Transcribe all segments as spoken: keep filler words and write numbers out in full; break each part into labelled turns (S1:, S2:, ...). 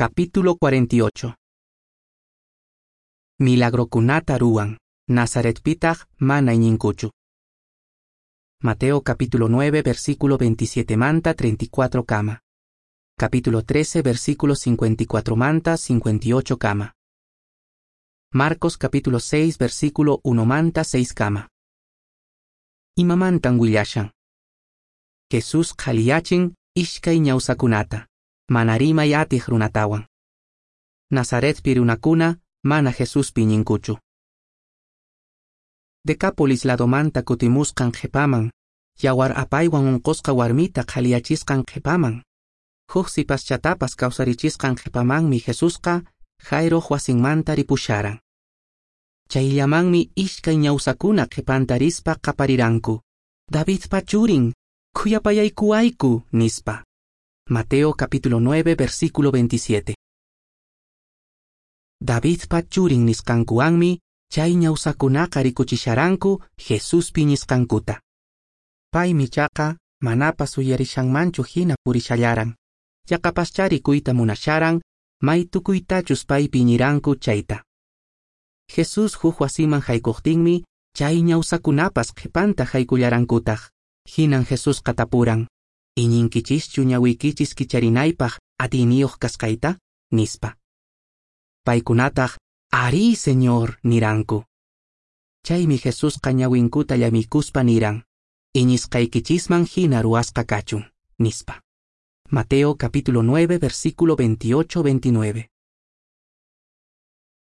S1: Capítulo cuarenta y ocho. Milagrokunata ruwan, Nazaretpitaq mana iñinkuchu. Mateo capítulo nueve, versículo veintisiete manta treinta y cuatro kama. Capítulo trece, versículo cincuenta y cuatro manta cincuenta y ocho kama. Marcos capítulo seis, versículo uno manta seis kama. Imamantan willashan. Jesús qhaliyachin ishkay ñawsakunata, mana rimay atiq runatawan. Nazaretpi runakuna mana Jesuspi iñinkuchu. Decápolis ladomanta kutimusqan qhipaman, yawar apaywan unqusqa warmita qhaliyachisqan qhipaman, huk sipaschatapas kawsarichisqan qhipamanmi Jesusqa Jairoq wasinmanta ripusharan. Chayllamanmi ishkay ñawsakuna qhipanta rispa qapariranku, Davidpa churin, khuyapayaykuwayku, nispa. Mateo capítulo nueve, versículo veintisiete. Davidpa churin nisqankuwanmi chay ñawsakunaqa rikuchisharanku Jesuspi iñisqankuta. Paymi chaqa manapas uyarishanmanchu hina purishallaran. Yaqapaschá rikuyta munasharan may tukuytachus paypi iñiranku chayta. Jesús huk wasiman haykuqtinmi chay ñawsakunapas qhipanta haykullarankutaq. Hinan Jesusqa tapuran, ¿iñinkichischu ñawiykichis kicharinaypaq atiyniyuq kasqayta? Nispa. Paykunataq, arí, Señor, niranku. Chaymi Jesusqa ñawinkuta llamiykuspa niran, iñisqaykichisman hina ruwasqa kachun, nispa. Mateo capítulo nueve, versículo veintiocho veintinueve.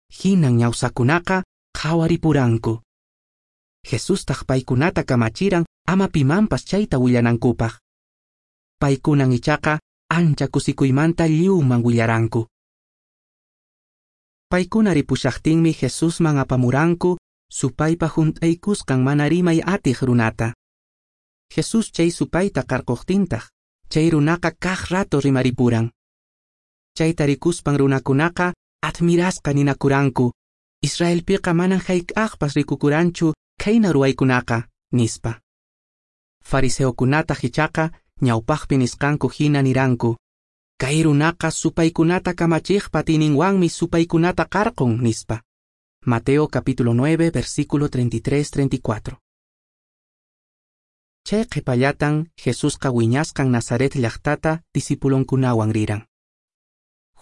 S1: Hinan ñawsakunaqa qhawaripuranku. Jesustaq paykunata kamachiran ama pimanpas chayta willanankupaq. Paykunan ichaqa ancha kusikuymanta lliwman willaranku. Paykuna ripushaqtinmi Jesusman apamuranku supaypa hunt'aykusqan mana rimay atiq runata. Jesús chay supayta qarquqtintaq, chay runaqa kaq rato rimaripuran. Chayta rikuspan runakunaqa admirasqa ninakuranku, Israelpiqa manan hayk'aqpas rikukuranchu khayna ruwaykunaqa, nispa. Fariseokunataq ichaqa ñawpaqpi nisqanku hina niranku, kay runaqa supaykunata kamachiqpa atiyninwanmi supaykunata qarqun, nispa. Mateo capítulo nueve, versículo treinta y tres treinta y cuatro. Chay qhipallatan Jesusqa wiñasqan Nazaret llaqtata discipulonkunawan riran.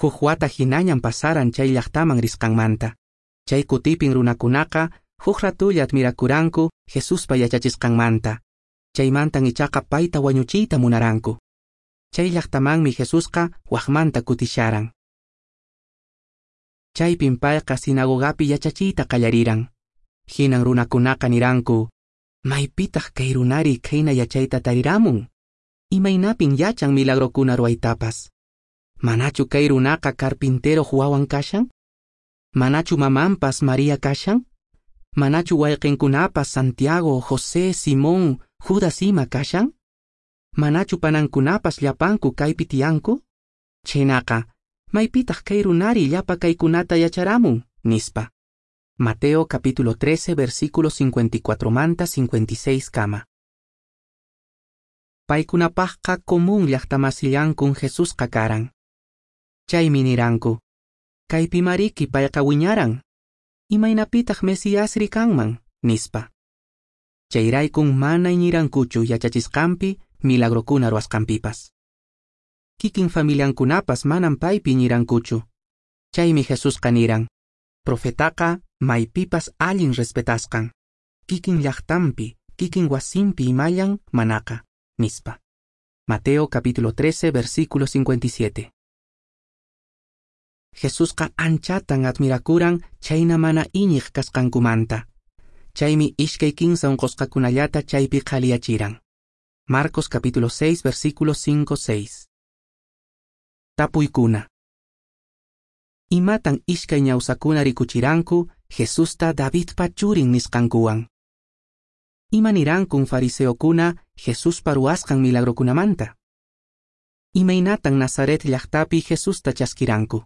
S1: Huk wata hinañan pasaran chay llaqtaman risqanmanta. Chay kutipin runakunaqa huk ratulla admirakuranku Jesuspa yachachisqanmanta. Chaymantan ichaqa payta wañuchiyta munaranku. Chay llaqtamanmi Jesusqa waqmanta kutisharan. Chaypin payqa sinagogapi yachachiyta qallariran. Hinan runakunaqa niranku, maypitaq kay runari khayna yachayta tariramun? Imaynapin yachan milagrokuna ruwaytapas? Manachu kay runaqa carpinteroq wawan kashan? Manachu mamanpas María kashan? Manachu wayqinkunapas Santiago, José, Simón, Judas ima kashan? Manachu panankunapas llapanku kaypi tiyanku? Chhaynaqa, maypitaq kay runari llapa kaykunata yacharamun, nispa. Mateo capítulo trece, versículo cincuenta y cuatro manta cincuenta y seis kama. Paykunapaqqa común llaqtamasillankun Jesusqa karan. Chaymi niranku, kaypi mariki payqa wiñaran. Imaynapitaq Mesiasri kanman, nispa. Chayraykun mana iñirankuchu yachachisqanpi milagrokuna ruwasqanpipas. Kikin familiankunapas manan paypi iñirankuchu. Chaymi Jesusqa niran, profetaqa maypipas allin respetasqan, kikin llaqtanpi, kikin wasinpi imallan manaqa, nispa. Mateo capítulo trece, versículo cincuenta y siete. Jesusqa anchatan admirakuran chayna mana iñiq kasqankumanta. Chaymi ishkay kinsa unqusqakunallata chaypi qhaliyachiran. Marcos capítulo seis, versículo cinco seis. Tapuykuna. Imatan ishkay ñawsakuna rikuchiranku Jesusta Davidpa churin nisqankuwan? Ima nirankun fariseokuna Jesuspa ruwasqan milagrokunamanta? Imaynatan Nazaret llaqtapi Jesusta chaskiranku?